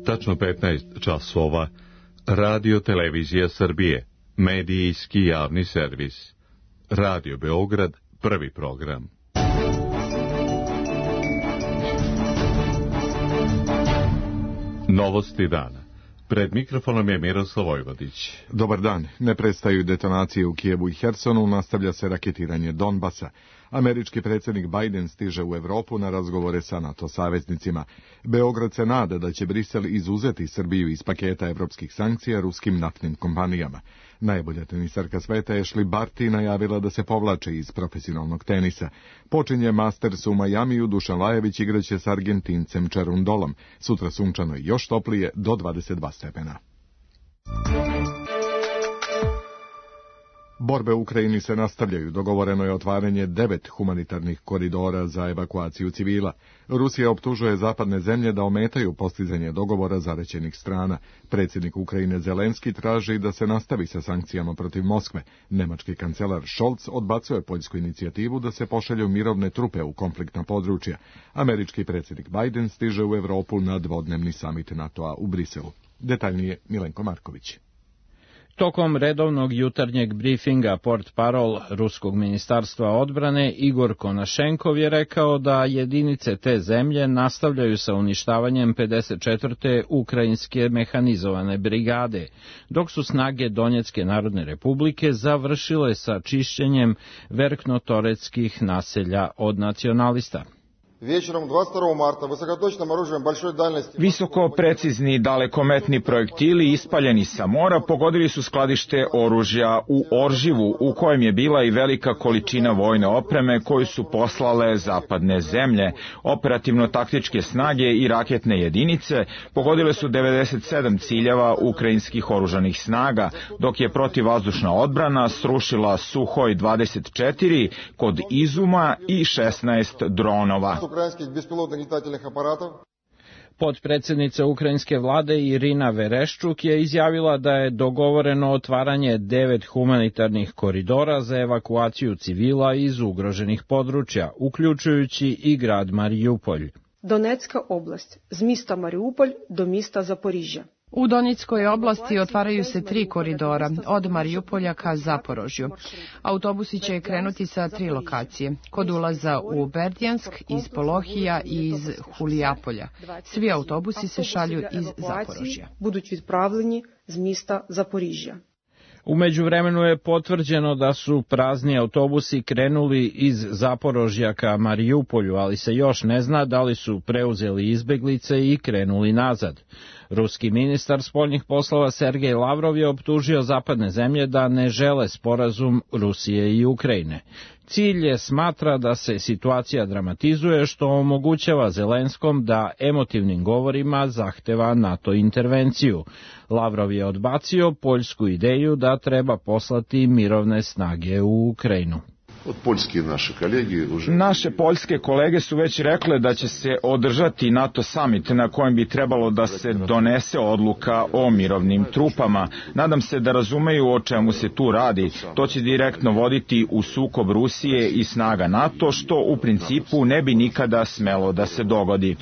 Tačno 15 časova. Radio Televizija Srbije. Medijski javni servis. Radio Beograd, prvi program. Novosti dana. Pred mikrofonom je Miroslav Vojvodić. Dobar dan. Ne prestaju detonacije u Kijevu i Hersonu, nastavlja se raketiranje Donbasa. Američki predsjednik Biden stiže u Evropu na razgovore sa NATO saveznicima. Beograd se nada da će Brisel izuzeti Srbiju iz paketa evropskih sankcija ruskim naftnim kompanijama. Najbolja tenisarka sveta Ashley Barty najavila da se povlači iz profesionalnog tenisa. Počinje Masters u Majamiju, Dušan Lajović igraće s Argentincem Čarundolom. Sutra sunčano i još toplije do 22 stepena. Borbe u Ukrajini se nastavljaju. Dogovoreno je otvaranje 9 humanitarnih koridora za evakuaciju civila. Rusija optužuje zapadne zemlje da ometaju postizanje dogovora zaraćenih strana. Predsjednik Ukrajine Zelenski traži da se nastavi sa sankcijama protiv Moskve. Nemački kancelar Scholz odbacuje poljsku inicijativu da se pošalju mirovne trupe u konfliktna područja. Američki predsjednik Biden stiže u Evropu na dvodnevni samit NATO-a u Briselu. Detaljnije Milenko Marković. Tokom redovnog jutarnjeg brifinga portparol Ruskog ministarstva odbrane Igor Konašenkov je rekao da jedinice te zemlje nastavljaju sa uništavanjem 54. ukrajinske mehanizovane brigade, dok su snage Donjecke narodne republike završile sa čišćenjem verknotoreckih naselja od nacionalista. Visoko precizni dalekometni projektili ispaljeni sa mora pogodili su skladište oružja u Orživu, u kojem je bila i velika količina vojne opreme koju su poslale zapadne zemlje. Operativno-taktičke snage i raketne jedinice pogodile su 97 ciljeva ukrajinskih oružanih snaga, dok je protivvazdušna odbrana srušila Suhoj 24 kod Izuma i 16 dronova. Potpredsjednica ukrajinske vlade Irina Vereščuk je izjavila da je dogovoreno otvaranje 9 humanitarnih koridora za evakuaciju civila iz ugroženih područja, uključujući i grad Mariupolj. Donetska oblast, z mista Mariupolj do mista Zaporižja. U Donjeckoj oblasti otvaraju se 3 koridora, od Mariupolja ka Zaporožju. Autobusi će krenuti sa 3 lokacije, kod ulaza u Berdjansk, iz Polohija i iz Hulijapolja. Svi autobusi se šalju iz Zaporožja. Budući відправлені z mista Zaporižja. U međuvremenu je potvrđeno da su prazni autobusi krenuli iz Zaporožja ka Mariupolju, ali se još ne zna da li su preuzeli izbeglice i krenuli nazad. Ruski ministar spoljnih poslova Sergej Lavrov je optužio zapadne zemlje da ne žele sporazum Rusije i Ukrajine. Cilj je smatra da se situacija dramatizuje, što omogućava Zelenskom da emotivnim govorima zahteva NATO intervenciju. Lavrov je odbacio poljsku ideju da treba poslati mirovne snage u Ukrajinu. Naše poljske kolege su već rekle da će se održati NATO summit na kojem bi trebalo da se donese odluka o mirovnim trupama. Nadam se da razumeju o čemu se tu radi. To će direktno voditi u sukob Rusije i snaga NATO, što u principu ne bi nikada smelo da se dogodi.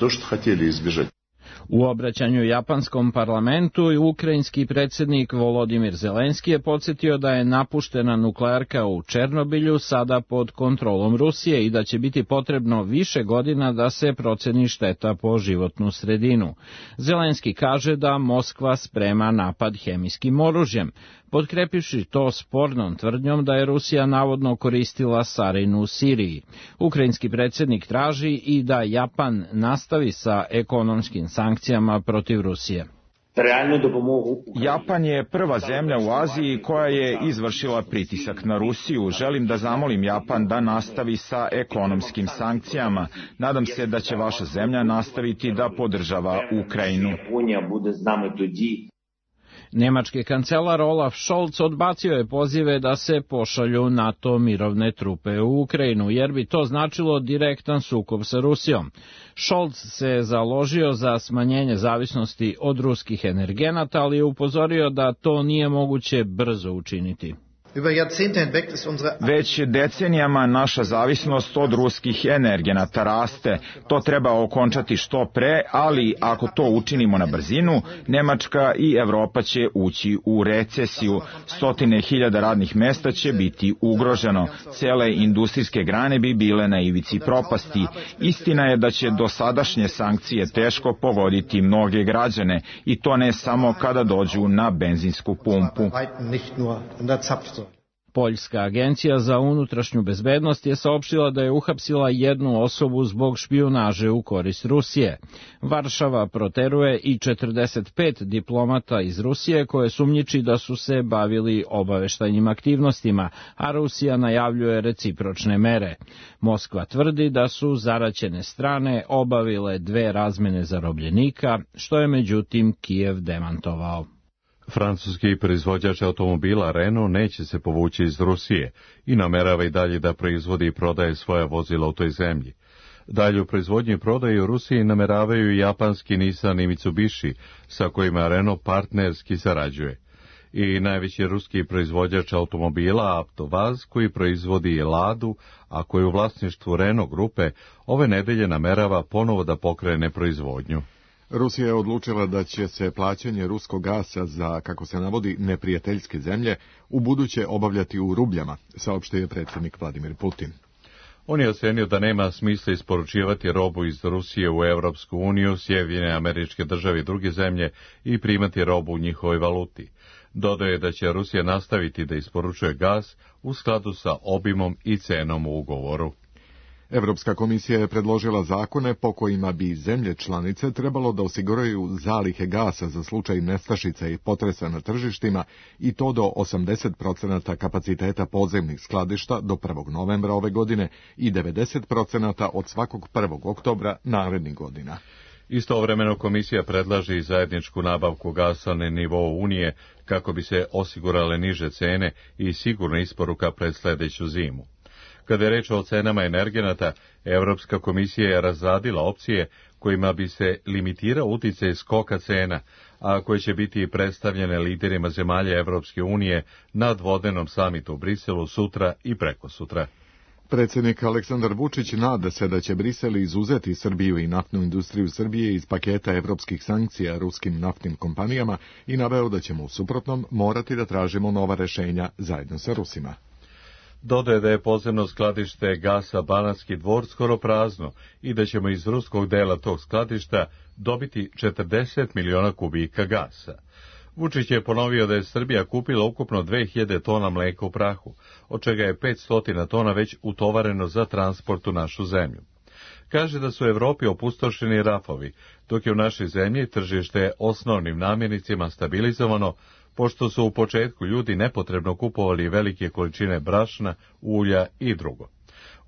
U obraćanju japanskom parlamentu ukrajinski predsjednik Volodimir Zelenski je podsjetio da je napuštena nuklearka u Černobilju sada pod kontrolom Rusije i da će biti potrebno više godina da se proceni šteta po životnu sredinu. Zelenski kaže da Moskva sprema napad hemijskim oružjem, potkrepivši to spornom tvrdnjom da je Rusija navodno koristila sarin u Siriji. Ukrajinski predsjednik traži i da Japan nastavi sa ekonomskim sankcijama protiv Rusije. Japan je prva zemlja u Aziji koja je izvršila pritisak na Rusiju. Želim da zamolim Japan da nastavi sa ekonomskim sankcijama. Nadam se da će vaša zemlja nastaviti da podržava Ukrajinu. Nemački kancelar Olaf Scholz odbacio je pozive da se pošalju NATO mirovne trupe u Ukrajinu, jer bi to značilo direktan sukob sa Rusijom. Scholz se založio za smanjenje zavisnosti od ruskih energenata, ali je upozorio da to nije moguće brzo učiniti. Već decenijama naša zavisnost od ruskih energenata raste. To treba okončati što pre, ali ako to učinimo na brzinu, Nemačka i Evropa će ući u recesiju. Stotine hiljada radnih mesta će biti ugroženo. Cele industrijske grane bi bile na ivici propasti. Istina je da će dosadašnje sankcije teško pogoditi mnoge građane, i to ne samo kada dođu na benzinsku pumpu. Poljska agencija za unutrašnju bezbednost je saopštila da je uhapsila jednu osobu zbog špijunaže u korist Rusije. Varšava proteruje i 45 diplomata iz Rusije koje sumnjiči da su se bavili obaveštajnim aktivnostima, a Rusija najavljuje recipročne mere. Moskva tvrdi da su zaraćene strane obavile 2 razmene zarobljenika, što je međutim Kijev demantovao. Francuski proizvođač automobila Renault neće se povući iz Rusije i namerava i dalje da proizvodi i prodaje svoja vozila u toj zemlji. Dalje u proizvodnji i prodaji u Rusiji nameravaju i japanski Nissan i Mitsubishi, sa kojima Renault partnerski sarađuje. I najveći ruski proizvođač automobila Avtovaz, koji proizvodi Ladu, a koji u vlasništvu Renault grupe, ove nedelje namerava ponovo da pokrene proizvodnju. Rusija je odlučila da će se plaćanje ruskog gasa za, kako se navodi, neprijateljske zemlje ubuduće obavljati u rubljama, saopštio je predsjednik Vladimir Putin. On je ocenio da nema smisla isporučivati robu iz Rusije u Evropsku uniju, Sjedinjene Američke Države i druge zemlje i primati robu u njihovoj valuti. Dodao je da će Rusija nastaviti da isporučuje gas u skladu sa obimom i cenom u ugovoru. Evropska komisija je predložila zakone po kojima bi zemlje članice trebalo da osiguraju zalihe gasa za slučaj nestašica i potresa na tržištima, i to do 80% kapaciteta podzemnih skladišta do 1. novembra ove godine i 90% od svakog 1. oktobra narednih godina. Istovremeno komisija predlaže i zajedničku nabavku gasa na nivou Unije kako bi se osigurale niže cene i sigurna isporuka pred sljedeću zimu. Kada je reč o cenama energenata, Evropska komisija je razradila opcije kojima bi se limitirao uticaj skoka cena, a koje će biti predstavljene liderima zemalja Evropske unije na dvodenom samitu u Briselu sutra i prekosutra. Predsjednik Aleksandar Vučić nada se da će Brisel izuzeti Srbiju i naftnu industriju Srbije iz paketa evropskih sankcija ruskim naftnim kompanijama i naveo da ćemo u suprotnom morati da tražimo nova rešenja zajedno sa Rusima. Dodaje da je podzemno skladište gasa Banatski Dvor skoro prazno i da ćemo iz ruskog dela tog skladišta dobiti 40 miliona kubika gasa. Vučić je ponovio da je Srbija kupila ukupno 2000 tona mleka u prahu, od čega je 500 tona već utovareno za transport u našu zemlju. Kaže da su u Evropi opustošeni rafovi, dok je u našoj zemlji tržište osnovnim namirnicama stabilizovano, pošto su u početku ljudi nepotrebno kupovali velike količine brašna, ulja i drugo.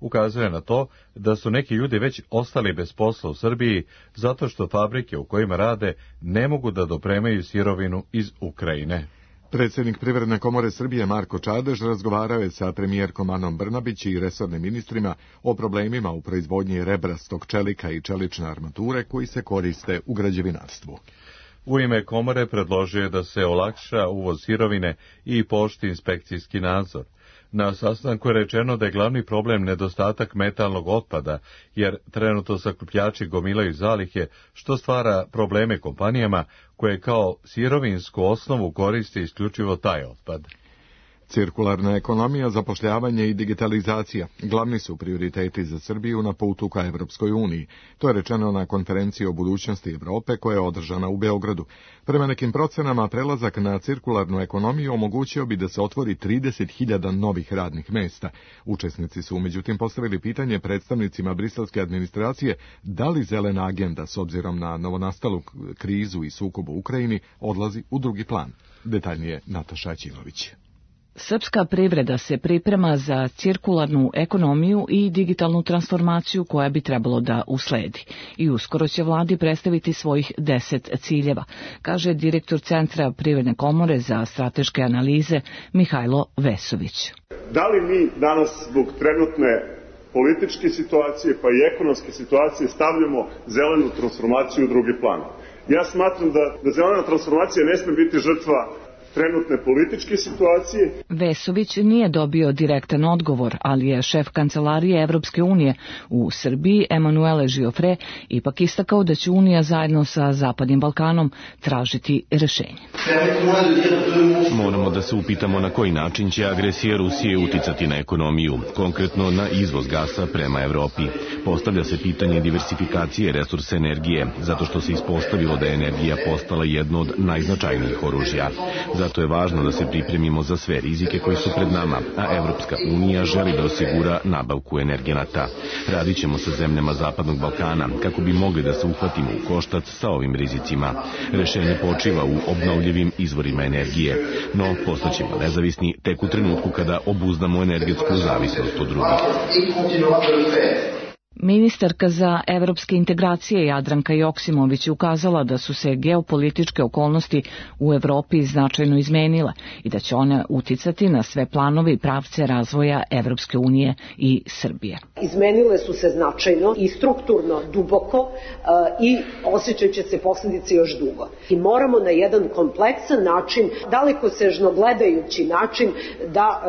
Ukazuje na to da su neki ljudi već ostali bez posla u Srbiji zato što fabrike u kojima rade ne mogu da dopremaju sirovinu iz Ukrajine. Predsjednik Privredne komore Srbije Marko Čadež razgovarao je sa premijerkom Anom Brnabić i resornim ministrima o problemima u proizvodnji rebrastog čelika i čelične armature koji se koriste u građevinarstvu. U ime komore predložio je da se olakša uvoz sirovine i pooštri inspekcijski nadzor. Na sastanku je rečeno da je glavni problem nedostatak metalnog otpada, jer trenutno sakupljači gomilaju zalihe, što stvara probleme kompanijama koje kao sirovinsku osnovu koriste isključivo taj otpad. Cirkularna ekonomija, zapošljavanje i digitalizacija glavni su prioriteti za Srbiju na putu ka Evropskoj uniji. To je rečeno na konferenciji o budućnosti Evrope koja je održana u Beogradu. Prema nekim procenama, prelazak na cirkularnu ekonomiju omogućio bi da se otvori 30.000 novih radnih mesta. Učesnici su međutim postavili pitanje predstavnicima briselske administracije da li zelena agenda, s obzirom na novonastalu krizu i sukob u Ukrajini, odlazi u drugi plan. Detaljnije Nataša Ćilović. Srpska privreda se priprema za cirkularnu ekonomiju i digitalnu transformaciju koja bi trebalo da usledi. I uskoro će vladi predstaviti svojih 10 ciljeva, kaže direktor Centra Privredne komore za strateške analize Mihajlo Vesović. Da li mi danas zbog trenutne političke situacije pa i ekonomske situacije stavljamo zelenu transformaciju u drugi plan? Ja smatram da zelena transformacija ne sme biti žrtva trenutne političke situacije. Vesović nije dobio direktan odgovor, ali je šef kancelarije Evropske unije u Srbiji, Emanuele Žiofre, ipak istakao da će Unija zajedno sa Zapadnim Balkanom tražiti rešenje. Moramo da se upitamo na koji način će agresija Rusije uticati na ekonomiju, konkretno na izvoz gasa prema Evropi. Postavlja se pitanje diversifikacije resursa energije, zato što se ispostavilo da je energija postala jedno od najznačajnijih oružja. Zato je važno da se pripremimo za sve rizike koji su pred nama, a Evropska unija želi da osigura nabavku energenata. Radit ćemo sa zemljama Zapadnog Balkana kako bi mogli da se uhvatimo u koštac sa ovim rizicima. Rešenje počiva u obnovljivim izvorima energije, no postaćemo nezavisni tek u trenutku kada obuzdamo energetsku zavisnost od drugih. Ministarka za evropske integracije Jadranka Joksimović je ukazala da su se geopolitičke okolnosti u Evropi značajno izmenile i da će one uticati na sve planove i pravce razvoja Evropske unije i Srbije. Izmenile su se značajno i strukturno duboko i osjećat će se posljedice još dugo. I moramo na jedan kompleksan način, dalekosežno gledajući način, da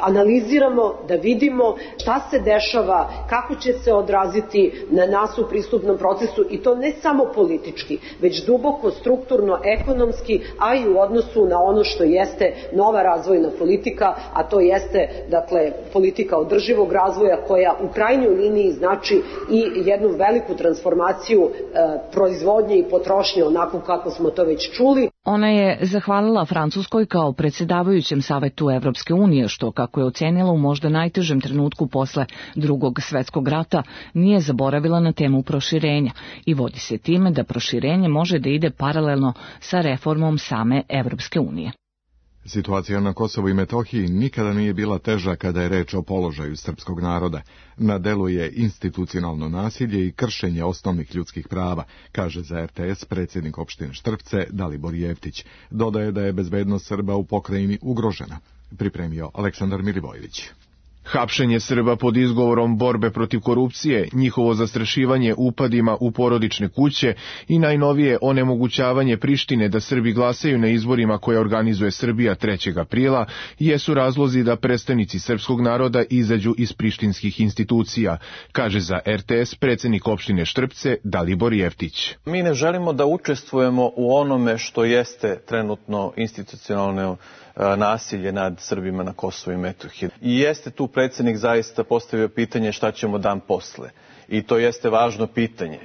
analiziramo, da vidimo šta se dešava, kako će se odraziti na nas u pristupnom procesu i to ne samo politički, već duboko, strukturno, ekonomski, a i u odnosu na ono što jeste nova razvojna politika, a to jeste, dakle, politika održivog razvoja koja u krajnjoj liniji znači i jednu veliku transformaciju proizvodnje i potrošnje onako kako smo to već čuli. Ona je zahvalila Francuskoj kao predsjedavajućem Savetu Evropske unije, što, kako je ocenila u možda najtežem trenutku posle Drugog svetskog rata, nije zaboravila na temu proširenja i vodi se time da proširenje može da ide paralelno sa reformom same Evropske unije. Situacija na Kosovu i Metohiji nikada nije bila teža kada je reč o položaju srpskog naroda. Na delu je institucionalno nasilje i kršenje osnovnih ljudskih prava, kaže za RTS predsjednik opštine Štrpce Dalibor Jeftić. Dodaje da je bezbednost Srba u pokrajini ugrožena. Pripremio Aleksandar Milivojević. Hapšenje Srba pod izgovorom borbe protiv korupcije, njihovo zastrašivanje upadima u porodične kuće i najnovije onemogućavanje Prištine da Srbi glasaju na izborima koje organizuje Srbija 3. aprila jesu razlozi da predstavnici srpskog naroda izađu iz prištinskih institucija, kaže za RTS predsjednik opštine Štrpce Dalibor Jeftić. Mi ne želimo da učestvujemo u onome što jeste trenutno institucionalno nasilje nad Srbima na Kosovu i Metohiji. I jeste tu predsjednik zaista postavio pitanje šta ćemo dan posle. I to jeste važno pitanje.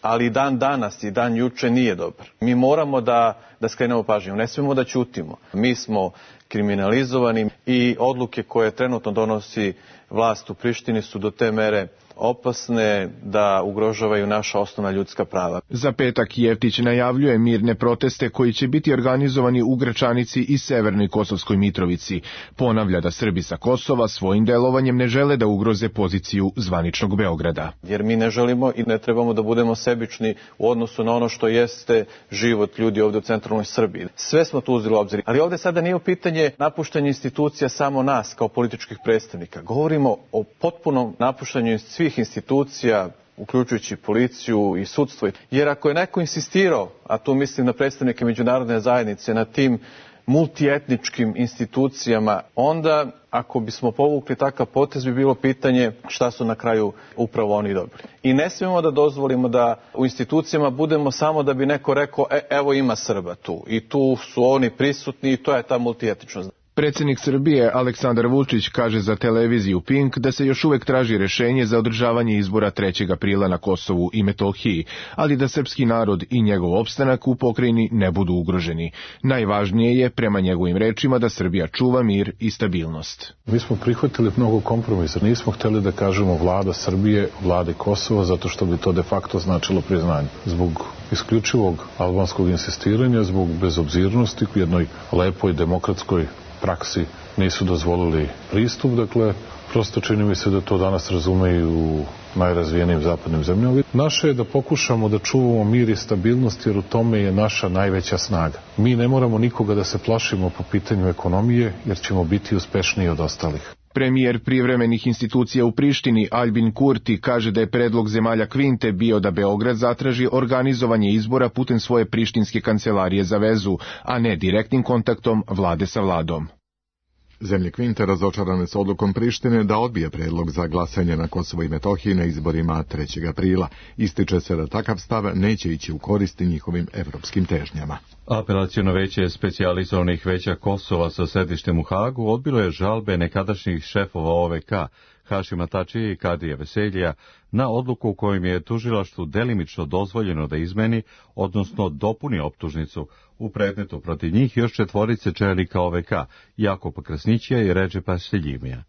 Ali dan danas i dan juče nije dobar. Mi moramo da skrenemo pažnju, ne smemo da ćutimo. Mi smo kriminalizovani i odluke koje trenutno donosi vlast u Prištini su do te mere opasne da ugrožavaju naša osnovna ljudska prava. Za petak Jeftić najavljuje mirne proteste koji će biti organizovani u Gračanici i Severnoj Kosovskoj Mitrovici. Ponavlja da Srbi sa Kosova svojim delovanjem ne žele da ugroze poziciju zvaničnog Beograda. Jer mi ne želimo i ne trebamo da budemo sebični u odnosu na ono što jeste život ljudi ovdje u centralnoj Srbiji. Sve smo tu uzeli u obzir. Ali ovdje sada nije u pitanje napuštanje institucija samo nas kao političkih predstavnika. Govorimo o potpunom napuštanju svih institucija, uključujući policiju i sudstvo. Jer ako je neko insistirao, a tu mislim na predstavnike međunarodne zajednice, na tim multietničkim institucijama, onda ako bismo povukli takav potez bi bilo pitanje šta su na kraju upravo oni dobili. I ne smijemo da dozvolimo da u institucijama budemo samo da bi neko rekao evo ima Srba tu i tu su oni prisutni i to je ta multietničnost. Predsjednik Srbije Aleksandar Vučić kaže za televiziju Pink da se još uvek traži rešenje za održavanje izbora 3. aprila na Kosovu i Metohiji, ali da srpski narod i njegov opstanak u pokrajini ne budu ugroženi. Najvažnije je, prema njegovim rečima, da Srbija čuva mir i stabilnost. Mi smo prihvatili mnogo kompromisa. Nismo hteli da kažemo vlada Srbije, vlade Kosova, zato što bi to de facto značilo priznanje. Zbog isključivog albanskog insistiranja, zbog bezobzirnosti u jednoj lepoj demokratskoj praksi nisu dozvolili pristup, dakle, prosto čini mi se da to danas razumeju u najrazvijenijim zapadnim zemljama. Naše je da pokušamo da čuvamo mir i stabilnost, jer u tome je naša najveća snaga. Mi ne moramo nikoga da se plašimo po pitanju ekonomije, jer ćemo biti uspešniji od ostalih. Premijer privremenih institucija u Prištini Albin Kurti kaže da je predlog zemalja Kvinte bio da Beograd zatraži organizovanje izbora putem svoje prištinske kancelarije za vezu, a ne direktnim kontaktom vlade sa vladom. Zemlje Kvinte razočarane s odlukom Prištine da odbije predlog za glasanje na Kosovo i Metohiji na izborima 3. aprila. Ističe se da takav stav neće ići u koristi njihovim evropskim težnjama. Apelaciono veće specijalizovanih veća Kosova sa sedištem u Hagu odbilo je žalbe nekadašnjih šefova OVK, Hašima Tačija i Kadija Veseljija, na odluku u kojim je tužilaštvu delimično dozvoljeno da izmeni, odnosno dopuni optužnicu u predmetu protiv njih još 4 čelnika OVK, Jakoba Krasnićija i Redžepa Seljimija.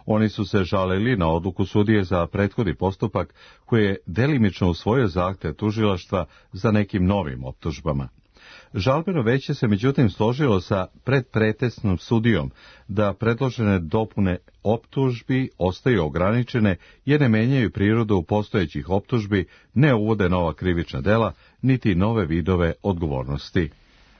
Oni su se žalili na odluku sudije za prethodni postupak koji je delimično usvojio zahtev tužilaštva za nekim novim optužbama. Žalbeno veće se međutim složilo sa predpretesnom sudijom da predložene dopune optužbi ostaju ograničene jer ne menjaju prirodu postojećih optužbi, ne uvode nova krivična dela, niti nove vidove odgovornosti.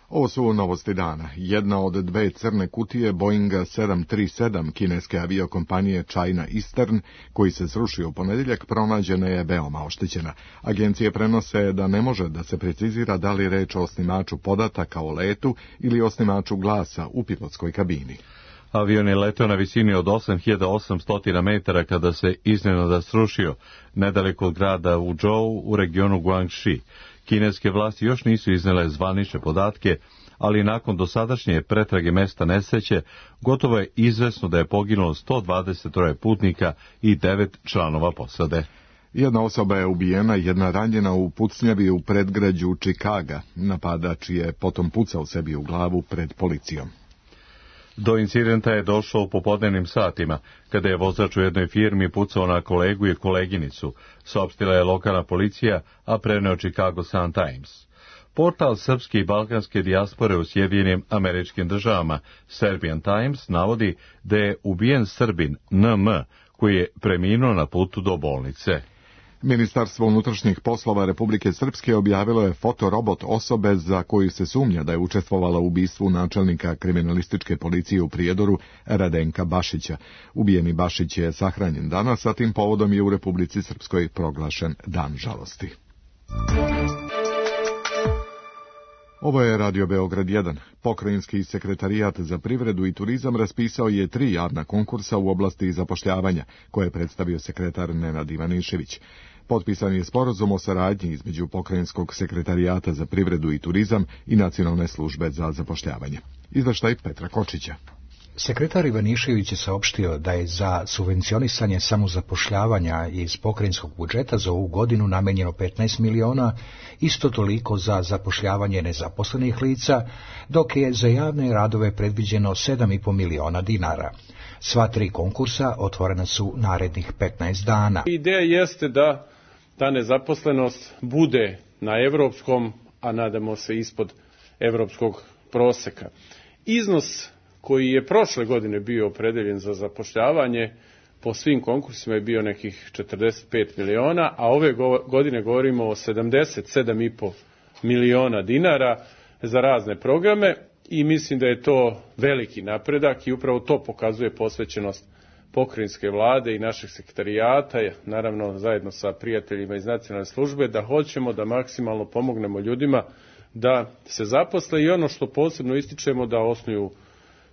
Ovo su novosti dana. Jedna od 2 crne kutije Boeinga 737 kineske aviokompanije China Eastern, koji se srušio u ponedjeljak, pronađena je veoma oštećena. Agencije prenose da ne može da se precizira da li reč o osnimaču podataka o letu ili osnimaču glasa u pilotskoj kabini. Avion je leteo na visini od 8800 metara kada se iznenada srušio, nedaleko od grada Wuzhou u regionu Guangxi. Kineske vlasti još nisu iznele zvanične podatke, ali nakon dosadašnje pretrage mesta nesreće, gotovo je izvesno da je poginulo 123 putnika i 9 članova posade. Jedna osoba je ubijena, jedna ranjena u pucnjavi u predgrađu Čikaga. Napadač je potom pucao sebi u glavu pred policijom. Do incidenta je došlo u popodnevnim satima, kada je vozač u jednoj firmi pucao na kolegu i koleginicu, saopštila je lokalna policija, a preneo Chicago Sun-Times. Portal srpske i balkanske dijaspore u Sjedinjenim Američkim Državama, Serbian Times, navodi da je ubijen Srbin NM, koji je preminuo na putu do bolnice. Ministarstvo unutrašnjih poslova Republike Srpske objavilo je fotorobot osobe za koju se sumnja da je učestvovala u ubistvu načelnika kriminalističke policije u Prijedoru Radenka Bašića. Ubijeni Bašić je sahranjen danas, a tim povodom je u Republici Srpskoj proglašen Dan žalosti. Ovo je Radio Beograd 1. Pokrajinski sekretarijat za privredu i turizam raspisao je 3 javna konkursa u oblasti zapošljavanja, koje je predstavio sekretar Nenad Ivanišević. Potpisan je sporazum o saradnji između Pokrajinskog sekretarijata za privredu i turizam i Nacionalne službe za zapošljavanje. Izveštaj Petra Kočića. Sekretar Ivanišević je saopštio da je za subvencionisanje samozapošljavanja iz pokrajinskog budžeta za ovu godinu namenjeno 15 miliona, isto toliko za zapošljavanje nezaposlenih lica, dok je za javne radove predviđeno 7,5 miliona dinara. Sva 3 konkursa otvorena su narednih 15 dana. Ideja jeste da ta nezaposlenost bude na evropskom, a nadamo se ispod evropskog proseka. Iznos koji je prošle godine bio opredeljen za zapošljavanje, po svim konkursima je bio nekih 45 miliona, a ove godine govorimo o 77,5 miliona dinara za razne programe i mislim da je to veliki napredak i upravo to pokazuje posvećenost pokrajinske vlade i našeg sekretarijata, naravno zajedno sa prijateljima iz nacionalne službe, da hoćemo da maksimalno pomognemo ljudima da se zaposle i ono što posebno ističemo da osnuju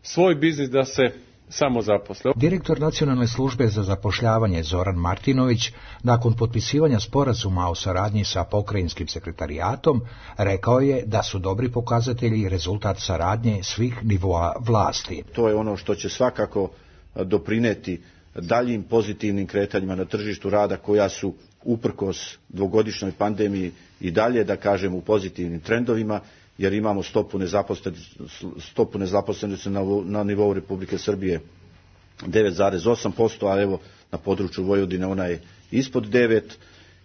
svoj biznis, da se samo zaposle. Direktor Nacionalne službe za zapošljavanje Zoran Martinović, nakon potpisivanja sporazuma o saradnji sa pokrajinskim sekretarijatom, rekao je da su dobri pokazatelji i rezultat saradnje svih nivoa vlasti. To je ono što će svakako doprineti daljim pozitivnim kretanjima na tržištu rada koja su uprkos dvogodišnjoj pandemiji i dalje, da kažem, u pozitivnim trendovima, jer imamo stopu nezaposlenosti na nivou Republike Srbije 9,8%, a evo na području Vojvodine ona je ispod 9%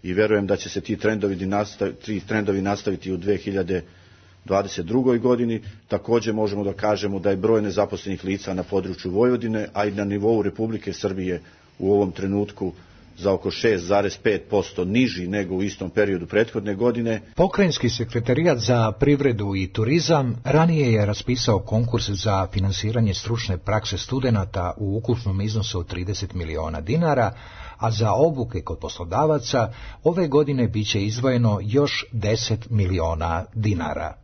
i verujem da će se ti trendovi nastaviti u 2022. godini. Također možemo da kažemo da je broj nezaposlenih lica na području Vojvodine, a i na nivou Republike Srbije u ovom trenutku za oko 6,5% niži nego u istom periodu prethodne godine. Pokrajinski sekretarijat za privredu i turizam ranije je raspisao konkurs za finansiranje stručne prakse studenata u ukupnom iznosu od 30 miliona dinara, a za obuke kod poslodavaca ove godine biće izdvojeno još 10 miliona dinara.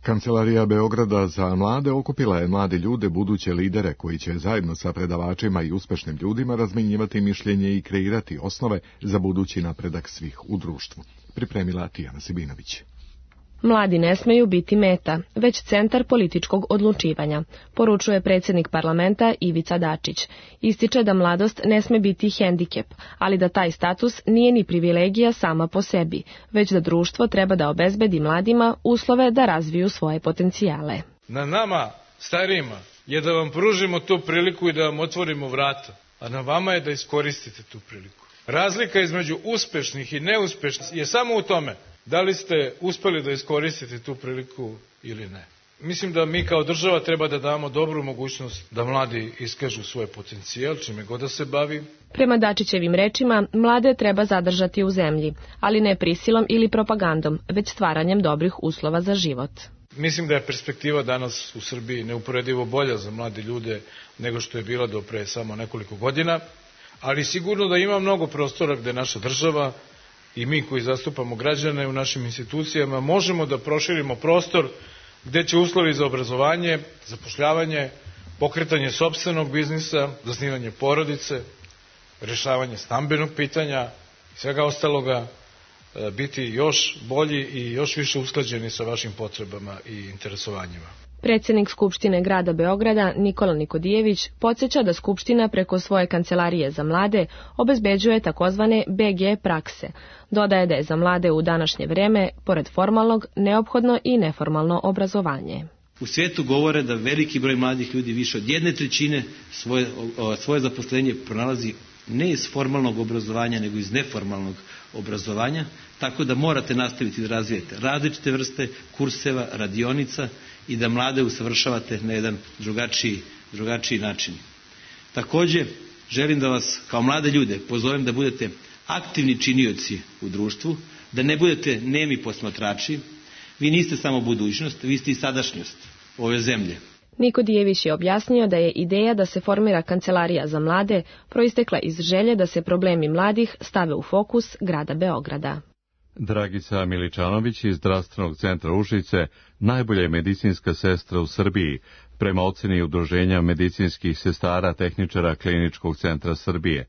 Kancelarija Beograda za mlade okupila je mlade ljude, buduće lidere koji će zajedno sa predavačima i uspešnim ljudima razmenjivati mišljenje i kreirati osnove za budući napredak svih u društvu. Pripremila Tijana Sibinović. Mladi ne smeju biti meta, već centar političkog odlučivanja, poručuje predsjednik parlamenta Ivica Dačić. Ističe da mladost ne sme biti hendikep, ali da taj status nije ni privilegija sama po sebi, već da društvo treba da obezbedi mladima uslove da razviju svoje potencijale. Na nama, starijima, je da vam pružimo tu priliku i da vam otvorimo vrata, a na vama je da iskoristite tu priliku. Razlika između uspešnih i neuspešnih je samo u tome da li ste uspeli da iskoristite tu priliku ili ne. Mislim da mi kao država treba da damo dobru mogućnost da mladi iskažu svoj potencijal, čime god da se bavi. Prema Dačićevim rečima, mlade treba zadržati u zemlji, ali ne prisilom ili propagandom, već stvaranjem dobrih uslova za život. Mislim da je perspektiva danas u Srbiji neuporedivo bolja za mlade ljude nego što je bila do pre samo nekoliko godina, ali sigurno da ima mnogo prostora gde naša država i mi koji zastupamo građane u našim institucijama možemo da proširimo prostor gde će uslovi za obrazovanje, zapošljavanje, pokretanje sopstvenog biznisa, zasnivanje porodice, rešavanje stambenog pitanja i svega ostaloga biti još bolji i još više usklađeni sa vašim potrebama i interesovanjima. Predsjednik Skupštine grada Beograda Nikola Nikodijević podsjeća da Skupština preko svoje kancelarije za mlade obezbeđuje takozvane BG prakse. Dodaje da je za mlade u današnje vreme, pored formalnog, neophodno i neformalno obrazovanje. U svijetu govore da veliki broj mladih ljudi, više od 1/3, svoje zaposlenje pronalazi ne iz formalnog obrazovanja, nego iz neformalnog obrazovanja, tako da morate nastaviti da razvijete različite vrste kurseva, radionica i da mlade usavršavate na jedan drugačiji način. Također, želim da vas kao mlade ljude pozovem da budete aktivni činioci u društvu, da ne budete nemi posmatrači. Vi niste samo budućnost, vi ste i sadašnjost ove zemlje. Nikodijević je objasnio da je ideja da se formira kancelarija za mlade proistekla iz želje da se problemi mladih stave u fokus grada Beograda. Dragica Miličanović iz Zdravstvenog centra Užice najbolja je medicinska sestra u Srbiji, prema oceni Udruženja medicinskih sestara tehničara Kliničkog centra Srbije.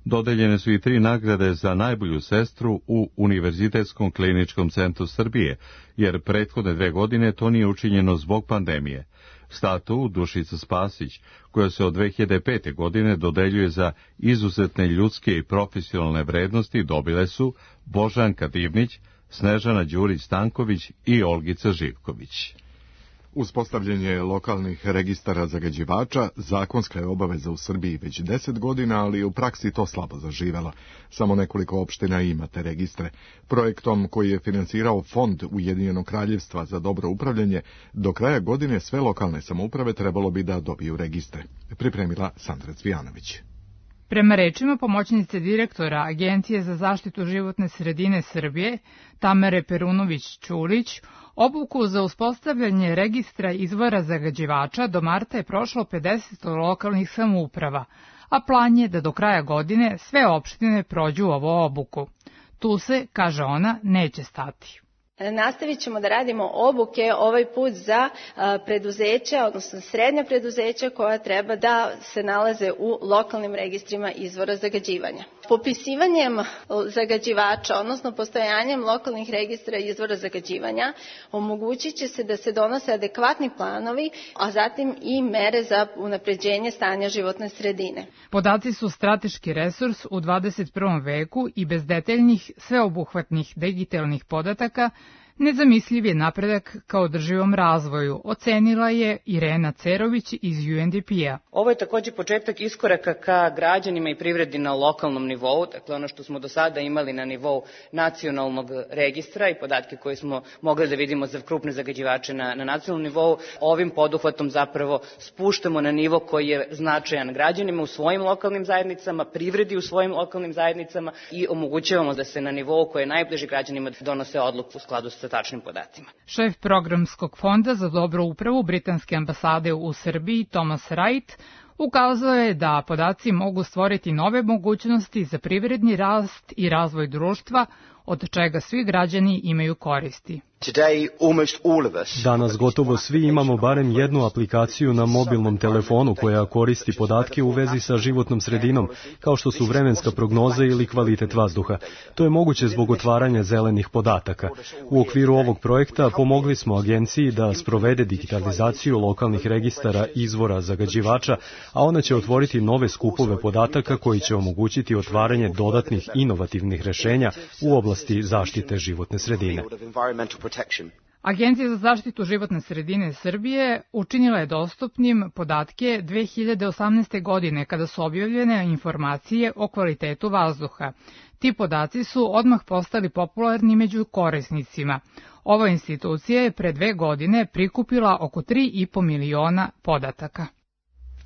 Dodeljene su i 3 nagrade za najbolju sestru u Univerzitetskom kliničkom centru Srbije, jer prethodne 2 godine to nije učinjeno zbog pandemije. Statu Dušica Spasić, koja se od 2005. godine dodeljuje za izuzetne ljudske i profesionalne vrednosti, dobile su Božanka Divnić, Snežana Đurić-Stanković i Olgica Živković. Uspostavljanje lokalnih registara zagađivača zakonska je obaveza u Srbiji već 10 godina, ali u praksi to slabo zaživelo. Samo nekoliko opština ima te registre. Projektom koji je finansirao Fond Ujedinjenog kraljevstva za dobro upravljanje, do kraja godine sve lokalne samouprave trebalo bi da dobiju registre. Pripremila Sandra Cvijanović. Prema rečima pomoćnice direktora Agencije za zaštitu životne sredine Srbije, Tamare Perunović-Ćulić, obuku za uspostavljanje registra izvora zagađivača do marta je prošlo 50 lokalnih samouprava, a plan je da do kraja godine sve opštine prođu ovu obuku. Tu se, kaže ona, neće stati. Nastavit ćemo da radimo obuke ovaj put za preduzeća, odnosno srednja preduzeća koja treba da se nalaze u lokalnim registrima izvora zagađivanja. Popisivanjem zagađivača, odnosno postojanjem lokalnih registra izvora zagađivanja, omogućit će se da se donose adekvatni planovi, a zatim i mere za unapređenje stanja životne sredine. Podaci su strateški resurs u 21. veku i bez detaljnih, sveobuhvatnih digitalnih podataka nezamisliv je napredak ka održivom razvoju, ocenila je Irena Cerović iz UNDP-a. Ovo je takođe početak iskoraka ka građanima i privredi na lokalnom nivou, dakle ono što smo do sada imali na nivou nacionalnog registra i podatke koje smo mogli da vidimo za krupne zagađivače na nacionalnom nivou, ovim poduhvatom zapravo spuštamo na nivo koji je značajan građanima u svojim lokalnim zajednicama, privredi u svojim lokalnim zajednicama i omogućavamo da se na nivou koji je najbliži građanima donose odluku u skladu sa tačnim podacima. Šef programskog fonda za dobru upravu Britanske ambasade u Srbiji, Thomas Wright, ukazao je da podaci mogu stvoriti nove mogućnosti za privredni rast i razvoj društva, od čega svi građani imaju koristi. Danas gotovo svi imamo barem jednu aplikaciju na mobilnom telefonu koja koristi podatke u vezi sa životnom sredinom, kao što su vremenska prognoza ili kvalitet vazduha. To je moguće zbog otvaranja zelenih podataka. U okviru ovog projekta pomogli smo agenciji da sprovede digitalizaciju lokalnih registara izvora zagađivača, a ona će otvoriti nove skupove podataka koji će omogućiti otvaranje dodatnih inovativnih rešenja u oblasti zaštite životne sredine. Agencija za zaštitu životne sredine Srbije učinila je dostupnim podatke 2018. godine kada su objavljene informacije o kvalitetu vazduha. Ti podaci su odmah postali popularni među korisnicima. Ova institucija je pre 2 godine prikupila oko 3,5 miliona podataka.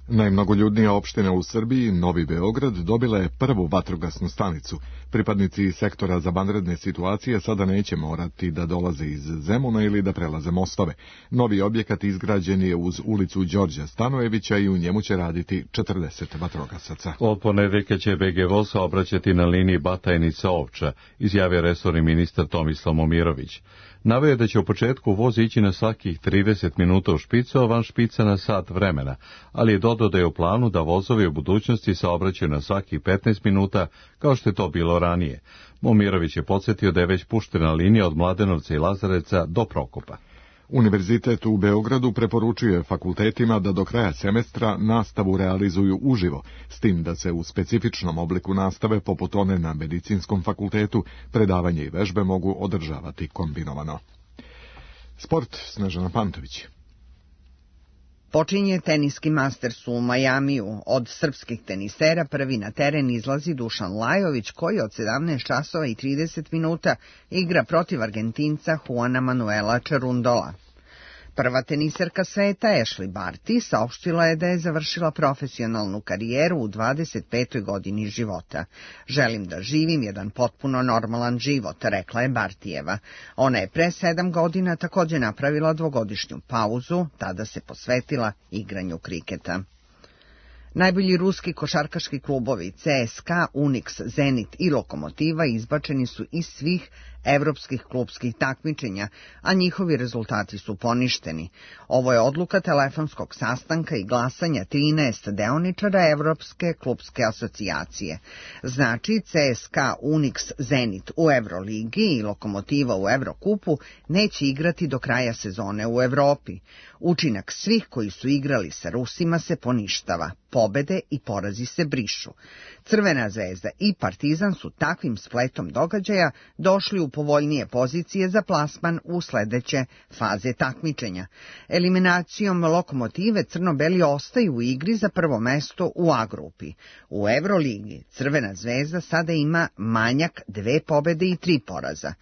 Najmnogoljudnija opština u Srbiji, Novi Beograd, dobila je prvu vatrogasnu stanicu. Pripadnici sektora za vanredne situacije sada neće morati da dolaze iz Zemuna ili da prelaze mostove. Novi objekat izgrađen je uz ulicu Đorđa Stanojevića i u njemu će raditi 40 vatrogasaca. Od ponedeljka će BG voz saobraćati na liniji Batajnica-Ovča, izjavio resorni ministar Tomislav Momirović. Naveo je da će u početku voz ići na svakih 30 minuta u špicu, a van špica na sat vremena, ali je dodao da je u planu da vozovi u budućnosti saobraćaju na svakih 15 minuta, kao što je to bilo ranije. Momirović je podsjetio da je već puštena linija od Mladenovca i Lazarevca do Prokopa. Univerzitet u Beogradu preporučuje fakultetima da do kraja semestra nastavu realizuju uživo, s tim da se u specifičnom obliku nastave, poput one na Medicinskom fakultetu, predavanje i vežbe mogu održavati kombinovano. Sport, Snežana Pantović. Počinje teniski Masters u Majamiju. Od srpskih tenisera prvi na teren izlazi Dušan Lajović, koji od 17 časova i 30 minuta igra protiv Argentinca Juana Manuela Čerundola. Prva teniserka sveta, Ashley Barty, saopštila je da je završila profesionalnu karijeru u 25. godini života. Želim da živim jedan potpuno normalan život, rekla je Bartijeva. Ona je pre 7 godina takođe napravila 2-godišnju pauzu, tada se posvetila igranju kriketa. Najbolji ruski košarkaški klubovi CSKA, Unix, Zenit i Lokomotiva izbačeni su iz svih evropskih klubskih takmičenja, a njihovi rezultati su poništeni. Ovo je odluka telefonskog sastanka i glasanja 13 deoničara Evropske klubske asocijacije. Znači, CSKA, Unix, Zenit u Euroligi i Lokomotiva u Evrokupu neće igrati do kraja sezone u Evropi. Učinak svih koji su igrali sa Rusima se poništava. Pobede i porazi se brišu. Crvena zvezda i Partizan su takvim spletom događaja došli u povoljnije pozicije za plasman u sledeće faze takmičenja. Eliminacijom Lokomotive crno-beli ostaju u igri za prvo mesto u A grupi. U Evroligi Crvena zvezda sada ima manjak 2 pobede i 3 poraza.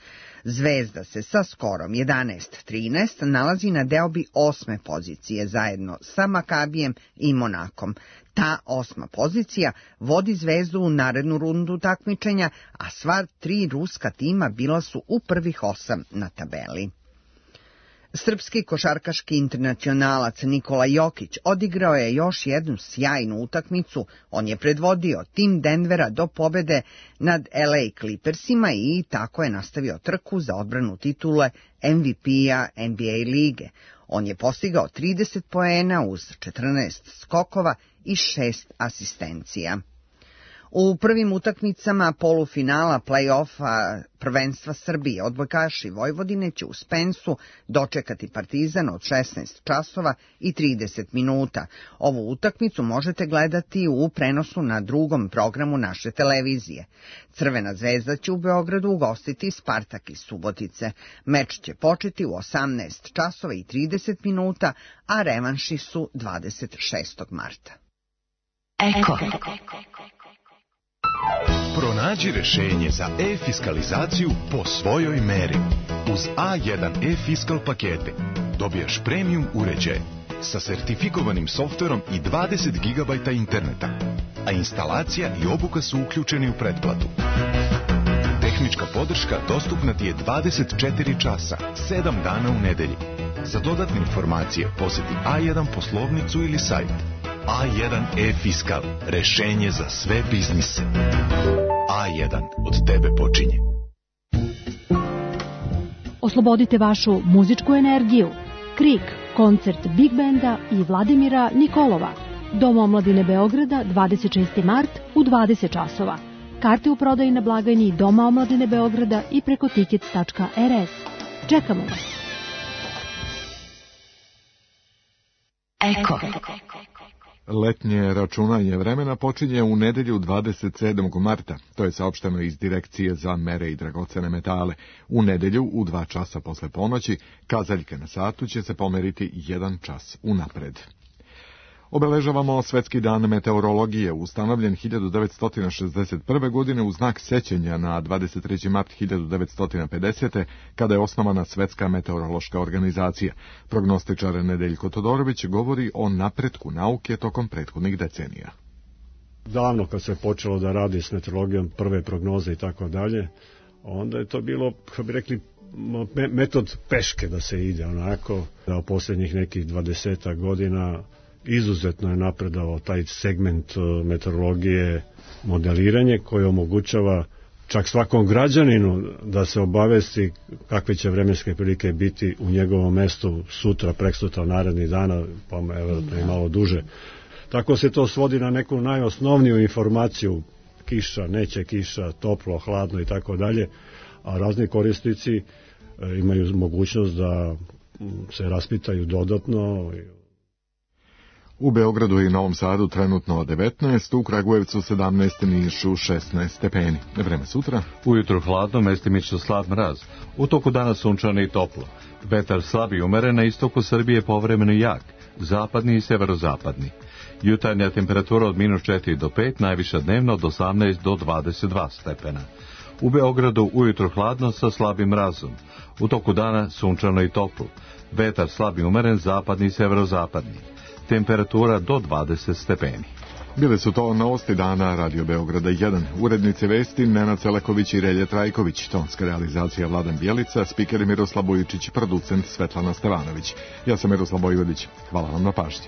Zvezda se sa skorom 11-13 nalazi na deobi 8. pozicije zajedno sa Makabijem i Monakom. Ta 8. pozicija vodi Zvezdu u narednu rundu takmičenja, a sva 3 ruska tima bila su u prvih 8 na tabeli. Srpski košarkaški internacionalac Nikola Jokić odigrao je još jednu sjajnu utakmicu. On je predvodio tim Denvera do pobede nad LA Clippersima i tako je nastavio trku za odbranu titule MVP-a NBA lige. On je postigao 30 poena uz 14 skokova i 6 asistencija. U prvim utakmicama polufinala play-offa prvenstva Srbije odbojkaši Vojvodine će u Spensu dočekati Partizan od 16 časova i 30 minuta. Ovu utakmicu možete gledati u prenosu na drugom programu naše televizije. Crvena zvezda će u Beogradu ugostiti Spartak iz Subotice. Meč će početi u 18 časova i 30 minuta, a revanši su 26. marta. Eko. Pronađi rešenje za e-fiskalizaciju po svojoj meri. Uz A1 e-fiskal pakete dobijaš premium uređaj sa sertifikovanim softverom i 20 GB interneta, a instalacija i obuka su uključeni u pretplatu. Tehnička podrška dostupna ti je 24 časa, 7 dana u nedelji. Za dodatne informacije poseti A1 poslovnicu ili sajt. A1 e-fiskal, rešenje za sve biznise. A1 od tebe počinje. Oslobodite vašu muzičku energiju. Krik, koncert Big Benda i Vladimira Nikolova. Dom omladine Beograda, 26. mart u 20 časova. Karte u prodaji na blagajni Doma omladine Beograda i preko tickets.rs. Čekamo vas. Eko. Letnje računanje vremena počinje u nedelju 27. marta. To je saopšteno iz Direkcije za mere i dragocene metale. U nedelju u 2 časa posle ponoći kazaljke na satu će se pomeriti 1 čas unapred. Obeležavamo Svetski dan meteorologije, ustanovljen 1961. godine u znak sećanja na 23. mart 1950. kada je osnovana Svetska meteorološka organizacija. Prognostičar Nedeljko Todorović govori o napretku nauke tokom prethodnih decenija. Davno kad se počelo da radi s meteorologijom, prve prognoze i tako dalje, onda je to bilo, kako bi rekli, metod peške da se ide onako, da u posljednjih nekih 20 godina izuzetno je napredovao taj segment meteorologije, modeliranje koje omogućava čak svakom građaninu da se obavesti kakve će vremenske prilike biti u njegovom mestu sutra, preksutra, narednih dana, pa evo i malo duže. Tako se to svodi na neku najosnovniju informaciju, kiša, neće kiša, toplo, hladno i tako dalje, a razni korisnici imaju mogućnost da se raspitaju dodatno. U Beogradu i Novom Sadu trenutno 19, u Kragujevcu 17, Nišu 16 stepeni. Vreme sutra. Ujutro hladno, mestimično slab mraz. U toku dana sunčano i toplo. Vetar slab i umeren, na istoku Srbije povremeno jak, zapadni i severozapadni. Jutarnja temperatura od -4 do 5, najviša dnevno od 18 do 22 stepena. U Beogradu ujutro hladno sa slabim mrazom. U toku dana sunčano i toplo. Vetar slab i umeren, zapadni i severozapadni. Temperatura do 20 stepeni. Bile su to novosti dana Radio Beograda 1. Urednici vesti Nenad Celeković i Relje Trajković. Tonska realizacija Vladan Bjelica, spiker Miroslav Bojičić, producent Svetlana Stevanović. Ja sam Miroslav Bojvodić. Hvala vam na pažnji.